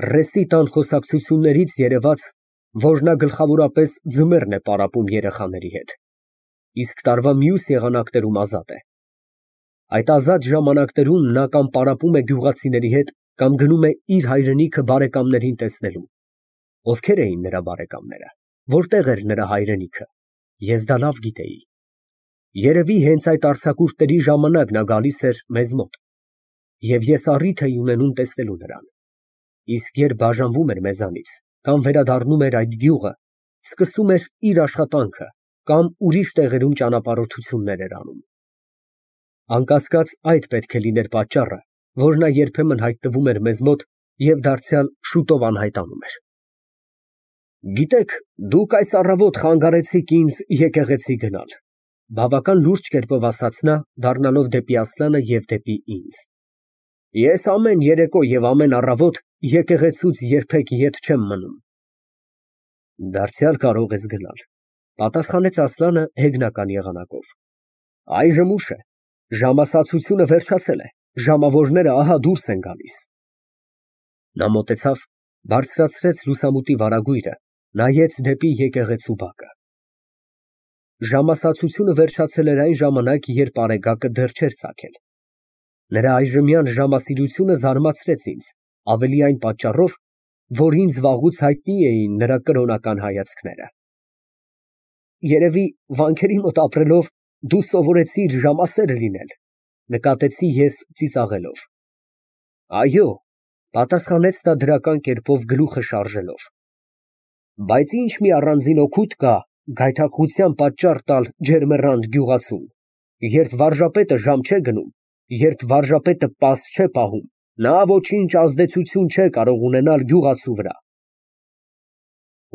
Ռեսի տան խոսակցություններից երևաց, որ նա գլխավորապես ձմեռն է պարապում երեխաների հետ, իսկ տարվա մյուս եղանակներում ազատ է։ Այդ ազատ ժամանակներում նա կամ պարապում է գյուղացիների հետ, կամ գնում է իր հայրենիքը բարեկամներին տեսնելու։ Ովքեր էին նրա բարեկամները, որտեղ էր նրա հայրենիքը, ես դա լավ գիտեի։ Երևի հենց այդ արձակուրդների ժամանակ նա գալիս էր մեզ մոտ, և ես առիթ էի ունենում տեսնելու նրան։ Իսկ երբ բաժանվում էր մեզանից, կամ վերադառնում էր այդ գյուղը, սկսում էր իր աշխատանքը, կամ ուրիշ տեղերում ճանապարհորդություններ էր անում։ Անկասկած, այդ պետք է լիներ պատճառը, որ նա երբեմն հայտնվում էր մեզ մոտ և դարձյալ շուտով անհայտանում էր։ Գիտեք, դուք այս առավոտ խանգարեցիք ինձ եկեղեցի գնալ, բավական լուրջ կերպով ասաց նա, դառնալով դեպի Ասլանը և դեպի ինձ։ Ես ամեն երեկո և ամեն առավոտ եկեղեցուց երբեք ետ չեմ մնում։ Դարձյալ կարող ես գնալ, պատասխանեց Ասլանը հեգնական եղանակով։ Այժմ ուշ է, ժամասացությունը վերջացել է, ժամավորները ահա դուրս են գալիս։ Նա մոտեցավ, բարձրացրեց լուսամուտի վարագույրը, նայեց դեպի եկեղեցու բակը։ Ժամասացությունը վերջացել էր այն ժամանակ, երբ արեգակը դեռ չէր ծագել։ Նրա այժմյան ժամասիրությունը զարմացրեց ինձ, ավելի այն պատճառով, որ ինձ վաղուց հայտնի էին նրա կրոնական հայացքները։ Երևի վանքերի մոտ ապրելով դու սովորեցիր ժամասեր լինել, նկատեցի ես ծիծաղելով։ Այո, պատասխանեց նա դրական կերպով գլուխը շարժելով։ Բայց ինչ մի առանձին օգուտ կա գայթակղության պատճառ տալ ջերմեռանդ գյուղացուն, երբ վարժապետը ժամ չէ գնում, երբ վարժապետը պաս չէ պահում, նա ոչինչ ազդեցություն չէ կարող ունենալ գյուղացու վրա։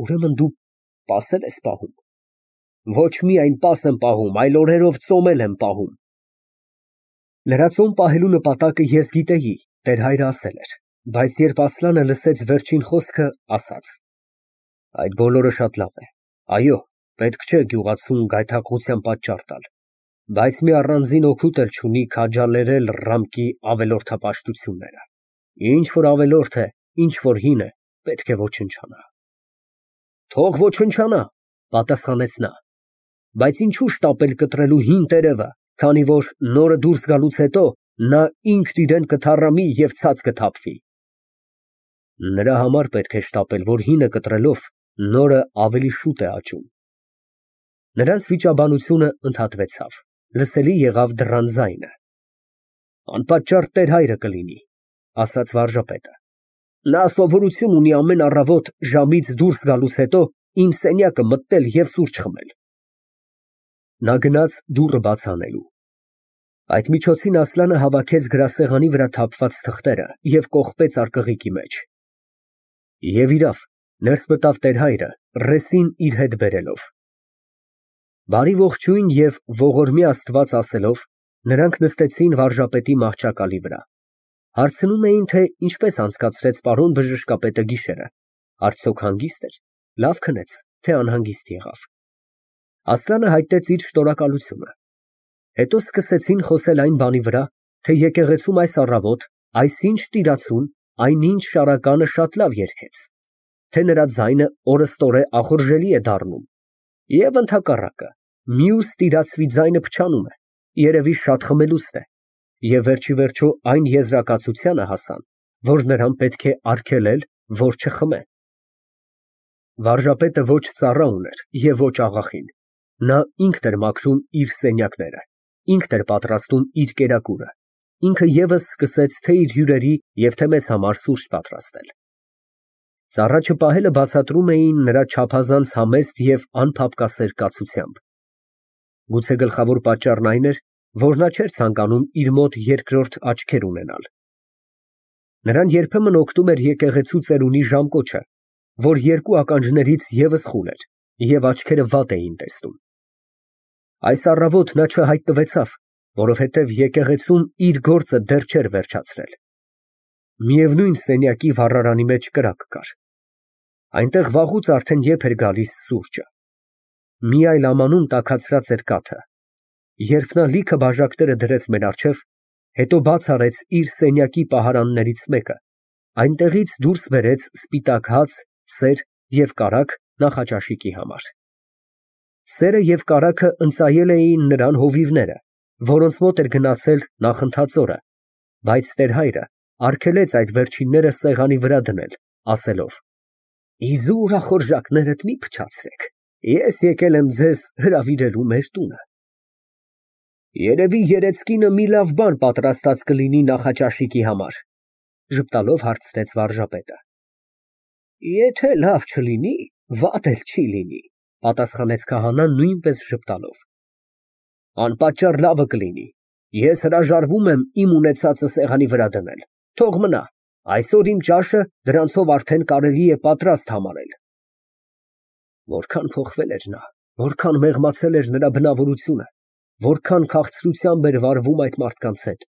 Ուրեմն դու պասել ես պահում։ Ոչ միայն պաս եմ պահում, այլ օրերով ծոմ էլ եմ պահում։ Նրա ծոմ պահելու նպատակը ես գիտեի, տեր-հայրը ասել էր, բայց երբ Ասլանը լսեց վերջին խոսքը, ասաց. Այդ բոլորը շատ լավ է, այո, պետք չէ գյուղացուն գայթակղության պատճառ տալ, բայց մի առանձին օգուտ էլ չունի քաջալերել ռամկի ավելորդապաշտությունները։ Ինչ որ ավելորդ է, ինչ որ հին է, պետք է ոչնչանա։ Թող ոչնչանա, պատասխանեց նա, բայց ինչու շտապել կտրելու հին տերևը, քանի որ նորը դուրս գալուց հետո նա ինքն իրեն կթառամի և ցած կթափվի։ Նրա համար պետք է շտապել, որ հինը կտրելով նորը ավելի շուտ է աճում։ Նրանց վիճաբանությունը ընդհատվեցավ, լսելի եղավ դռան ձայնը։ Անպատճառ տեր-հայրը կլինի, ասաց վարժապետը։ Նա սովորություն ունի ամեն առավոտ ժամից դուրս գալուց հետո իմ սենյակը մտնել և սուրճ խմել։ Նա գնաց դուռը բաց անելու։ Այդ միջոցին Ասլանը հավաքեց գրասեղանի վրա թափված թղթերը և կողպեց արկղիկի մեջ։ Եվ իրավ, ներս մտավ տեր֊հայրը, ռեսին իր հետ բերելով։ Բարի ողջույն և ողորմի Աստված ասելով, նրանք նստեցին վարժապետի մահճակալի վրա։ Հարցնում էին, թե ինչպես անցկացրեց պարոն բժշկապետը գիշերը, արդյոք հանգիստ էր, լավ քնեց, թե անհանգիստ եղավ։ Ասլանը հայտնեց իր շնորհակալությունը։ Հետո սկսեցին խոսել այն բանի վրա, թե եկեղեցում այս առավոտ այսինչ տիրացուն, այնինչ շարականը շատ լավ երգեց, թե նրա ձայնը օրըստօրե ախորժելի է դառնում, և ընդհակառակը, մյուս տիրացվի ձայնը փչանում է, երևի շատ խմելուստ է, և վերջիվերջո այն եզրակացությանը հասան, որ նրան պետք է արգելել, որ չխմե։ Վարժապետը ոչ ծառա ուներ և ոչ աղախին, նա ինքն էր մաքրում իր սենյակները, ինքն էր պատրաստում իր կերակուրը, ինքը ևս սկսեց թե իր հյուրերի և թե մեզ համար սուրճ պատրաստել։ Ծառա չպահելը բացատրում էին նրա չափազանց համեստ և անփափկասեր կացությամբ։ Գուցե գլխավոր պատճառն այն էր, որ նա չէր ցանկանում իր մոտ երկրորդ աչքեր ունենալ։ Նրան երբեմն օգնում էր եկեղեցու ծերունի ժամկոչը, որ երկու ականջներից ևս խուլ էր, և աչքերը վատ էին տեսնում։ Այս առավոտ նա չհայտնվեցավ, որովհետև եկեղեցում իր գործը դեռ չէր վերջացրել։ Միևնույն սենյակի վառարանի մեջ կրակ կար։ Այնտեղ վաղուց արդեն եփ էր գալիս սուրճը։ Մի այլ ամանում տաքացրած էր կաթը։ Երբ նա լիքը բաժակները դրեց մեր առջև, հետո բաց արեց իր սենյակի պահարաններից մեկը, Այնտեղից դուրս բերեց սպիտակ հաց, սեր և կարագ նախաճաշիկի համար։ Սերը և կարագը ընծայել էին նրան հովիվները, որոնց մոտ էր գնացել նախընթաց օրը, բայց տեր֊հայրը արգելեց այդ վերջինները սեղանի վրա դնել, ասելով. Իզուր ախորժակներդ մի փչացրեք, ես եկել եմ ձեզ հրավիրելու մեր տունը։ Երևի երեցկինը մի լավ բան պատրաստած կլինի նախաճաշիկի համար, ժպտալով հարցրեց վարժապետը։ Եթե լավ չլինի, վատ էլ չի լինի, պատասխանեց քահանան նույնպես ժպտալով։ Անպատճառ լավը կլինի, ես հրաժարվում եմ իմ ունեցածը սեղանի վրա դնել, թող մնա, այսօր իմ ճաշը դրանցով արդեն կարելի է պատրաստ համարել։ Որքան փոխվել էր նա, որքան մեղմացել էր նրա բնավորությունը, որքան քաղցրությամբ էր վարվում այդ մարդկանց հետ։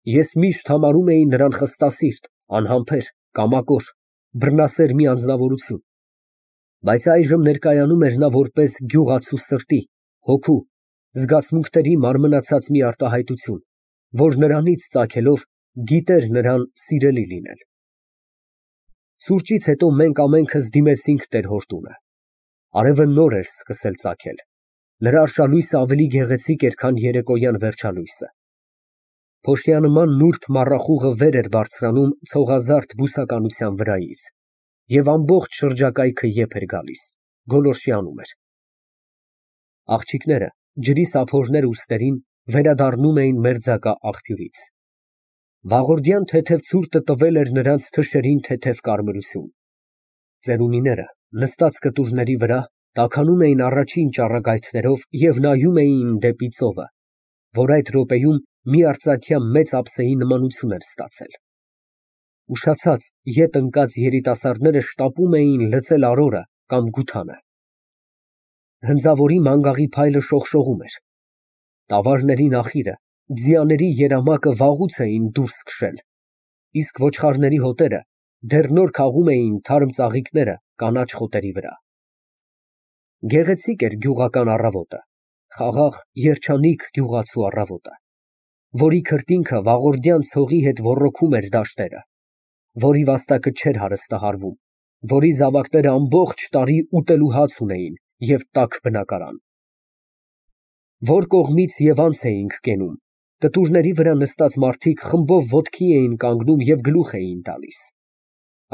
Ես միշտ համարում էի նրան խստասիրտ, անհամբեր, կամակոր, բռնասեր մի անձնավորություն, բայց այժմ ներկայանում էր նա որպես գյուղացու սրտի, հոգու, զգացմունքների մարմնացած մի արտահայտություն, որ նրանից ծագելով գիտեր նրան սիրելի լինել։ Սուրճից հետո մենք ամենքս դիմեցինք տեր֊հոր տունը։ Արևը նոր էր սկսել ծագել, նրա արշալույսը ավելի գեղեցիկ էր, քան երեկոյան վերջալույսը։ Փոշիանման նուրբ մառախուղը վեր էր բարձրանում ցողազարդ բուսականության վրայից, և ամբողջ շրջակայքը եփ էր գալիս, գոլորշիանում էր։ Աղջիկները, ջրի սափորներ ուստերին, վերադառնում էին մերձակա աղբյուրից։ Վաղորդյան թեթև ցուրտը տվել էր նրանց թշերին թեթև կարմրություն։ Ծերունիները, նստած կտուրների վրա, տաքանում էին առաջին ճառագայթներով և նայում էին դեպի ծովը, որ այդ րոպեում մի արծաթյա մեծ ափսեի նմանություն էր ստացել։ Ուշացած, ետ ընկած երիտասարդները շտապում էին լցել արորը կամ գութանը։ Հնձավորի մանգաղի փայլը շողշողում էր։ Տավարների նախիրը, ձիաների երամակը վաղուց էին դուրս քշել, իսկ ոչխարների հոտերը դեռ նոր քաղում էին թարմ ծաղիկները կանաչ խոտերի վրա։ Գեղեցիկ էր գյուղական առավոտը, խաղաղ, երջանիկ գյուղացու առավոտը, որի քրտինքը վաղորդյան ցողի հետ ոռոգում էր դաշտերը, որի վաստակը չէր հարստահարվում, որի զավակները ամբողջ տարի ուտելու հաց ունեին և տաք բնակարան։ Որ կողմից և անց էինք կենում, կտուրների վրա նստած մարդիկ խմբով ոտքի էին կանգնում և գլուխ էին տալիս։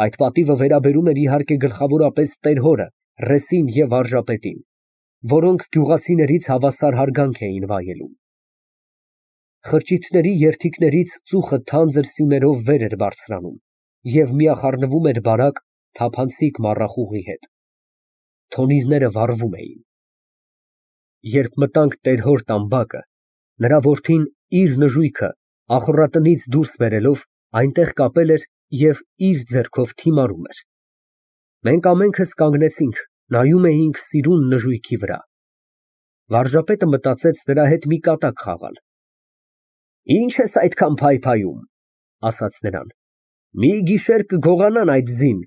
Այդ պատիվը վերաբերում էր իհարկե գլխավորապես տեր֊հորը, ռեսին և վարժապետին, որոնք գյուղացիներից հավասար հարգանք էին վայելում։ Խրճիթների երթիկներից ծուխը թանձր սյուներով վեր էր բարձրանում և միախառնվում էր բարակ, թափանցիկ մառախուղի հետ։ Թոնիրները վառվում էին։ Երբ մտանք տեր֊հոր տամբակը, նրա որդին իր նժույգը ախոռատնից դուրս բերելով այնտեղ կապել էր և իր ձեռքով թիմարում էր։ Մենք ամենքս կանգնեցինք, նայում էինք սիրուն նժույգի վրա։ Վարժապետը մտածեց նրա հետ մի կատակ խաղալ։ Ինչ ես այդքան փայփայում, ասաց նրան, մի գիշեր կգողանան այդ ձին։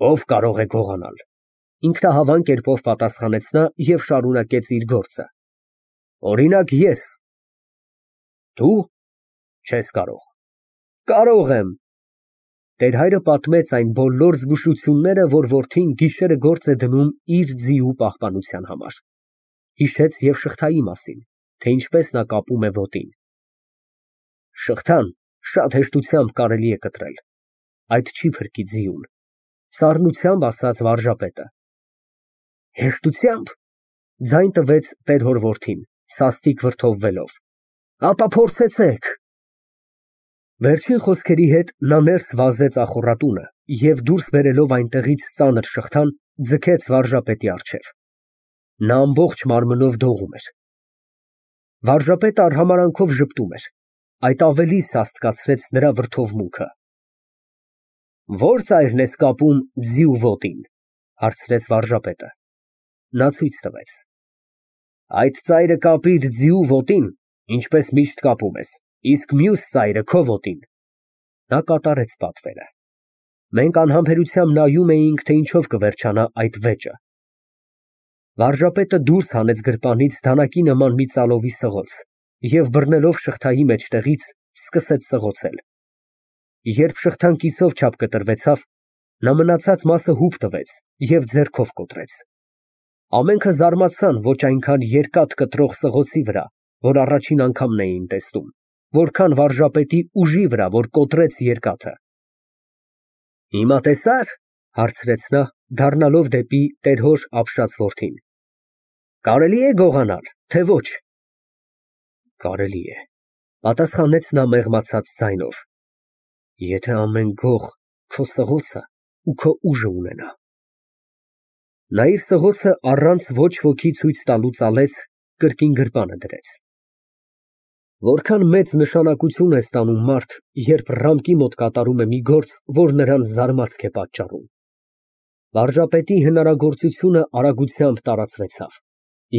Ով կարող է գողանալ, ինքնահավան կերպով պատասխանեց նա և շարունակեց իր գործը։ Օրինակ ես։ Դու չես կարող։ Կարող եմ։ Տեր֊հայրը պատմեց այն բոլոր զգուշությունները, որ որդին գիշերը գործ է դնում իր ձիու պահպանության համար։ Հիշեց և շղթայի մասին, թե ինչպես նա կապում է ոտին։ Շղթան շատ հեշտությամբ կարելի է կտրել, այդ չի փրկի ձիուն, սառնությամբ ասաց վարժապետը։ Հեշտությամբ, ձայն տվեց տեր֊հոր որդին, սաստիկ վրդովվելով, ապա փորձեցեք։ Վերջին խոսքերի հետ նա ներս վազեց ախոռատունը և դուրս բերելով այնտեղից ծանր շղթան, ձգեց վարժապետի առջև։ Նա ամբողջ մարմնով դողում էր։ Վարժապետը արհամարանքով ժպտում էր, այդ ավելի սաստկացրեց նրա վրդովմունքը։ Ո՞ր ծայրն ես կապում ձիու ոտին, հարցրեց վարժապետը։ Նա ցույց տվեց։ Այդ ծայրը կապիր ձիու ոտին, ինչպես միշտ կապում ես, իսկ մյուս ծայրը քո ոտին։ Նա կատարեց պատվերը։ Մենք անհամբերությամբ նայում էինք, թե ինչով կվերջանա այդ վեճը։ Վարժապետը դուրս հանեց գրպանից դանակի նման մի ծալովի սղոց և բռնելով շղթայի մեջտեղից սկսեց սղոցել։ Երբ շղթան կիսով չափ կտրվեցավ, նա մնացած մասը հուպ տվեց և ձեռքով կոտրեց։ Ամենքը զարմացան ոչ այնքան երկաթ կտրող սղոցի վրա, որ առաջին անգամն էին տեսնում, որքան վարժապետի ուժի վրա, որ կոտրեց երկաթը։ Հիմա տեսա՞ր, հարցրեց նա, դառնալով դեպի տեր֊հոր ապշած որդին։ Կարելի է գողանալ, թե ոչ։ Կարելի է, պատասխանեց նա մեղմացած ձայնով, եթե ամեն գող քո սղոցը ու քո ուժը ունենա։ Նա իր սղոցը առանց ոչ ոքի ցույց տալու ծալեց, կրկին գրպանը դրեց։ Որքան մեծ նշանակություն է ստանում մարդ, երբ ռամկի մոտ կատարում է մի գործ, որ նրան զարմանք է պատճառում։ Վարժապետի հնարագործությունը արագությամբ տարածվեցավ,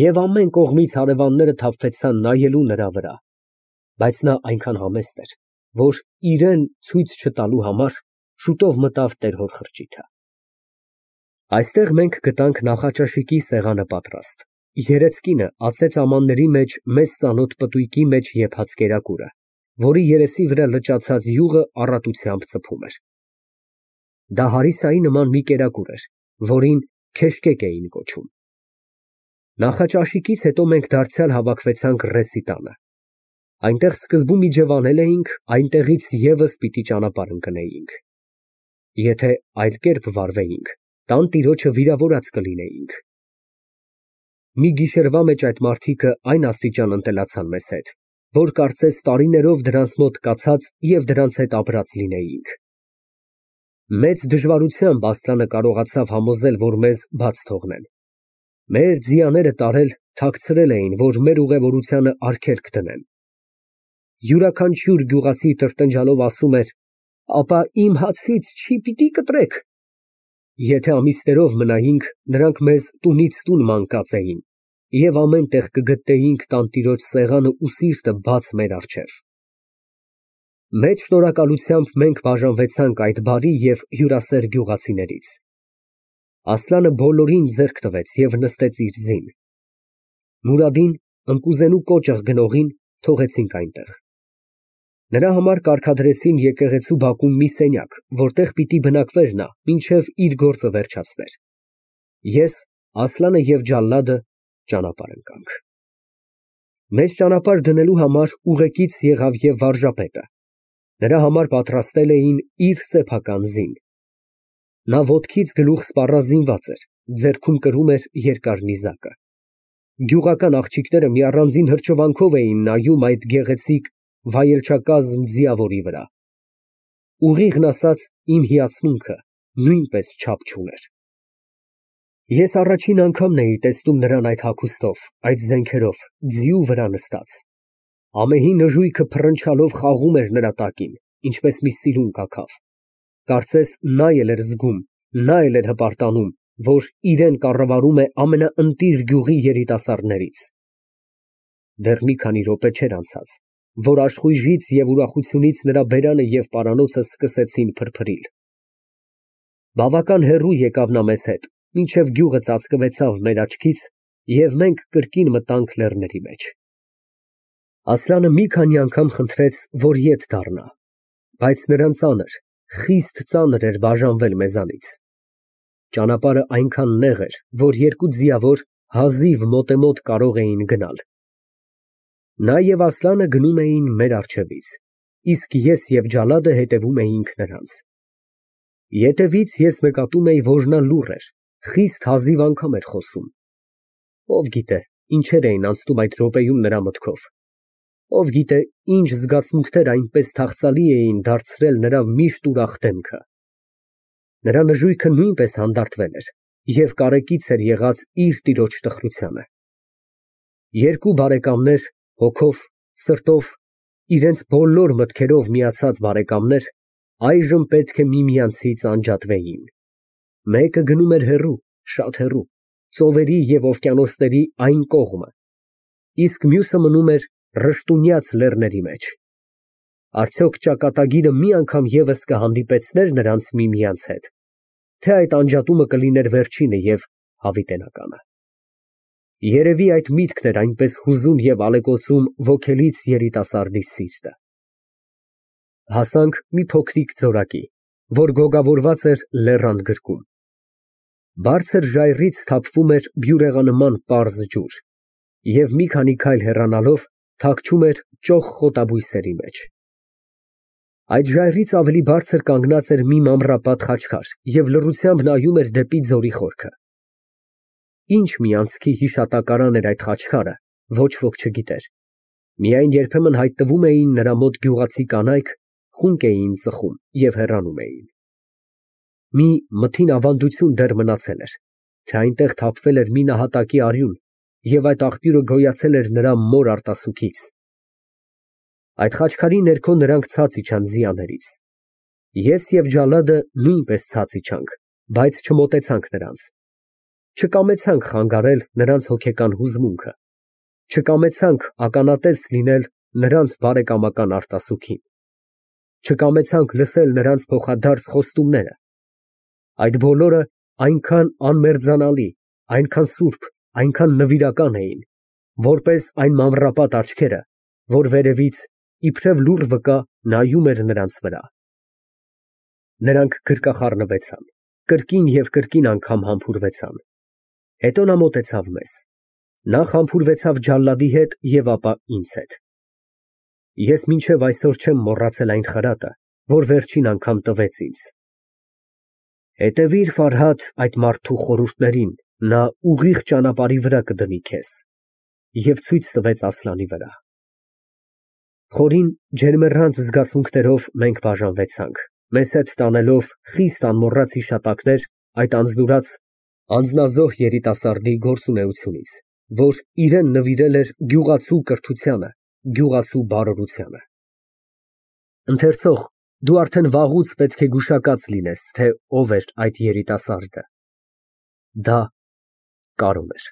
և ամեն կողմից հարևանները թափվեցան նայելու նրա վրա, բայց նա այնքան համեստ էր, որ իրան ցույց չտալու համար շուտով մտավ տեր֊հոր խրճիթը։ Այստեղ մենք գտանք նախաճաշիկի սեղանը պատրաստ, երեծկինը ածեց ամանների մեջ մեզ ծանոթ պտույտի մեջ եփած կերակուրը, որի երեսի վրա լճացած յուղը առատությամբ ծփում էր։ Դա հարիսայի նման մի կերակուր էր, որին քեշկեկ էին կոչում։ Նախաճաշիկից հետո մենք դարձյալ հավաքվեցանք ռեսի տանը։ Այնտեղ սկզբում իջևանել էինք, այնտեղից ևս պիտի ճանապարհ ընկնեինք։ Եթե այլ կերպ վարվեինք, տանտիրոջը վիրավորած կլինեինք։ Մի գիշերվա մեջ այդ մարդիկը այն աստիճան ընտելացան մեզ հետ, որ կարծես տարիներով դրանց մոտ կացած և դրանց հետ ապրած լինեինք։ Մեծ դժվարությամբ Ասլանը կարողացավ համոզել, որ մեզ բաց թողնեն։ Մեր ձիաները տարել, թաքցրել էին, որ մեր ուղևորությանը արգելք դնեն։ Յուրաքանչյուր գյուղացի տրտնջալով ասում էր. «Ապա իմ հացից չի պիտի կտրեք»։ Եթե ամիսներով մնայինք, նրանք մեզ տունից տուն մանկած էին, և ամեն տեղ կգտնեինք տանտիրոջ սեղանը ու սիրտը բաց մեր առջև։ Մեծ շնորհակալությամբ մենք բաժանվեցանք այդ բարի և հյուրասեր գյուղացիներից։ Ասլանը բոլորին ձեռք տվեց և նստեց իր ձին։ Մուրադին, ընկուզենու կոճղ գնողին, թողեցինք այնտեղ։ Նրա համար կարգադրեցին եկեղեցու բակում մի սենյակ, որտեղ պիտի բնակվեր նա, մինչև իր գործը վերջացներ։ Ես, Ասլանը և Ջալադը ճանապարհ ընկանք։ Մեզ ճանապարհ դնելու համար ուղեկից եղավ և վարժապետը։ Նրա համար պատրաստել էին իր սեփական ձին։ Նա ոտքից գլուխ սպառազինված էր, ձեռքում կրում էր երկար նիզակը։ Գյուղական աղջիկները մի առանձին հրճվանքով էին նայում այդ գեղեցիկ վայելչակազմ ձիավորի վրա։ Ուղիղն ասած, իմ հիացմունքը նույնպես չափ չուներ։ Ես առաջին անգամն էի տեսնում նրան այդ հագուստով, այդ զենքերով, ձիու վրա նստած։ Ամեհի նժույգը փռնչալով խաղում էր նրա տակին, ինչպես մի սիրուն կաքավ։ Կարծես նա էլ էր զգում, նա էլ էր հպարտանում, որ իրան կառավարում է ամենաընտիր գյուղի երիտասարդներից։ Դեռ մի քանի րոպե չէր անցած, որ աշխույժից և ուրախությունից նրա բերանը և պարանոցը սկսեցին փրփրիլ։ Բավական հեռու եկավ նա մեզ հետ, մինչև գյուղը ծածկվեցավ մեր աչքից, և մենք կրկին մտանք լեռների մեջ։ Ասլանը մի քանի անգամ խնդրեց, որ ետ դառնա, բայց նրան ծանր, խիստ ծանր էր բաժանվել մեզանից։ Ճանապարհը այնքան նեղ էր, որ երկու ձիավոր հազիվ մոտեմոտ կարող էին գնալ։ Նա և Ասլանը գնում էին մեր առջևից, իսկ ես և Ջալադը հետևում էինք նրանց։ Ետևից ես նկատում էի, որ նա լուռ էր, խիստ հազիվ անգամ էր խոսում։ Ով գիտե, ինչեր էին անցնում այդ րոպեում նրա մտքով։ Ով գիտե, ինչ զգացմունքներ այնպես թախծալի էին դարձրել նրա միշտ ուրախ դեմքը։ Նրա նժույգը նույնպես հանդարտվել էր և կարեկից էր եղած իր տիրոջ տխրությանը։ Երկու բարեկամներ, հոգով, սրտով, իրենց բոլոր մտքերով միացած բարեկամներ, այժմ պետք է միմյանցից անջատվեին։ Մեկը գնում էր հեռու, շատ հեռու, ծովերի և օվկիանոսների այն կողմը, իսկ մյուսը մնում էր ռշտունյաց լեռների մեջ։ Արդյոք ճակատագիրը մի անգամ ևս կհանդիպեցնե՞ր նրանց միմյանց հետ, թե այդ անջատումը կլիներ վերջինը և հավիտենականը։ Երևի այդ միտքն էր այնպես հուզում և ալեկոծում ոգելից երիտասարդի սիրտը։ Հասանք մի փոքրիկ ձորակի, որ գոգավորված էր լեռան գրկում։ Բարձր ժայռից թափվում էր բյուրեղանման պարզ ջուր, և մի քանի քայլ հեռանալով թաքչում էր ճոխ խոտաբույսերի մեջ։ Այդ ժայռից ավելի բարձր կանգնած էր մի մանրապատ խաչքար և լռությամբ նայում էր դեպի ձորի խորքը։ Ինչ մի անցքի հիշատակարան էր այդ խաչքարը, ոչ ոք չգիտեր, միայն երբեմն հայտնվում էին նրա մոտ գյուղացի կանայք, խունկ էին ծխում և հեռանում էին։ Մի մթին ավանդություն դեռ մնացել էր, թե այնտեղ թափվել էր մի նահատակի արյուն, և այդ աղբյուրը գոյացել էր նրա մոր արտասուքից։ Այդ խաչքարի ներքո նրանք ցած իջան ձիաներից։ Ես և Ջալադը նույնպես ցած իջանք, բայց չմոտեցանք նրանց։ Չկամեցանք խանգարել նրանց հոգեկան հուզմունքը, չկամեցանք ականատես լինել նրանց բարեկամական արտասուքին, չկամեցանք լսել նրանց փոխադարձ խոստումները։ Այդ բոլորը այնքան անմերձանալի, այնքան սուրբ, այնքան նվիրական էին, որպես այն մանրապատ աչքերը, որ վերևից, իբրև լուռ վկա, նայում էր նրանց վրա։ Նրանք գրկախառնվեցան, կրկին և կրկին անգամ համբուրվեցան։ Հետո նա մոտեցավ մեզ։ Նախ համբուրվեցավ Ջալադի հետ և ապա ինձ հետ։ Ես մինչև այսօր չեմ մոռացել այն խրատը, որ վերջին անգամ տվեց ինձ։ Հետևիր, Ֆարհադ, այդ մարդու խորհուրդներին, նա ուղիղ ճանապարհի վրա կդնի քեզ, և ցույց տվեց Ասլանի վրա։ Խորին, ջերմեռանդ զգացմունքներով մենք բաժանվեցանք, մեզ հետ տանելով խիստ անմոռաց հիշատակներ այդ անձնուրաց, անձնազոհ երիտասարդի գործունեությունից, որ իրեն նվիրել էր գյուղացու կրթությանը, գյուղացու բարօրությանը։ Ընթերցող, դու արդեն վաղուց պետք է գուշակած լինես, թե ով էր այդ երիտասարդը։ Դա Կարոն էր։